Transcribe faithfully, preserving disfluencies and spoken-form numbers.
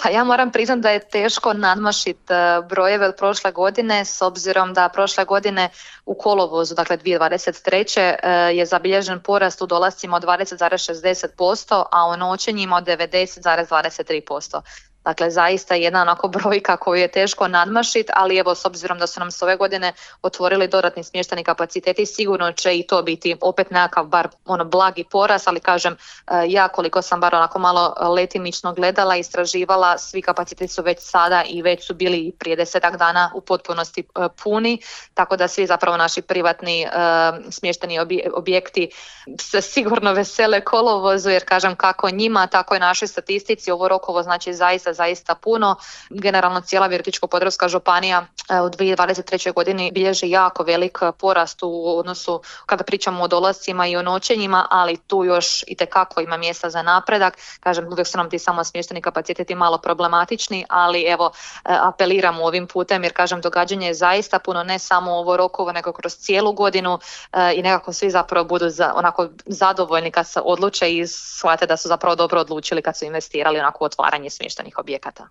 Pa ja moram priznati da je teško nadmašiti brojeve od prošle godine, s obzirom da prošle godine u kolovozu, dakle dvije tisuće dvadeset treće je zabilježen porast u dolascima od dvadeset zarez šezdeset posto, a u noćenjima od devedeset zarez dvadeset tri posto. Dakle, zaista jedna onako brojka koju je teško nadmašiti, ali evo, s obzirom da su nam se ove godine otvorili dodatni smještajni kapaciteti, sigurno će i to biti opet nekakav bar ono blagi porast, ali kažem, ja koliko sam bar onako malo letimično gledala, istraživala, svi kapaciteti su već sada i već su bili prije desetak dana u potpunosti puni, tako da svi zapravo naši privatni smještajni objekti se sigurno vesele kolovozu, jer kažem kako njima, tako i našoj statistici ovo Rokovo znači zaista zaista puno. Generalno cijela Virovitičko-podravska županija u dvije tisuće dvadeset trećoj godini bilježi jako velik porast u odnosu kada pričamo o dolascima i o noćenjima, ali tu još itekako ima mjesta za napredak. Kažem, uvijek su nam ti samo smješteni kapaciteti malo problematični, ali evo apeliramo ovim putem jer kažem događanje je zaista puno, ne samo ovo Rokovo nego kroz cijelu godinu i nekako svi zapravo budu za, onako zadovoljni kad se odluče i shvate da su zapravo dobro odlučili kad su investirali onako u otvaranje smještenih objekata.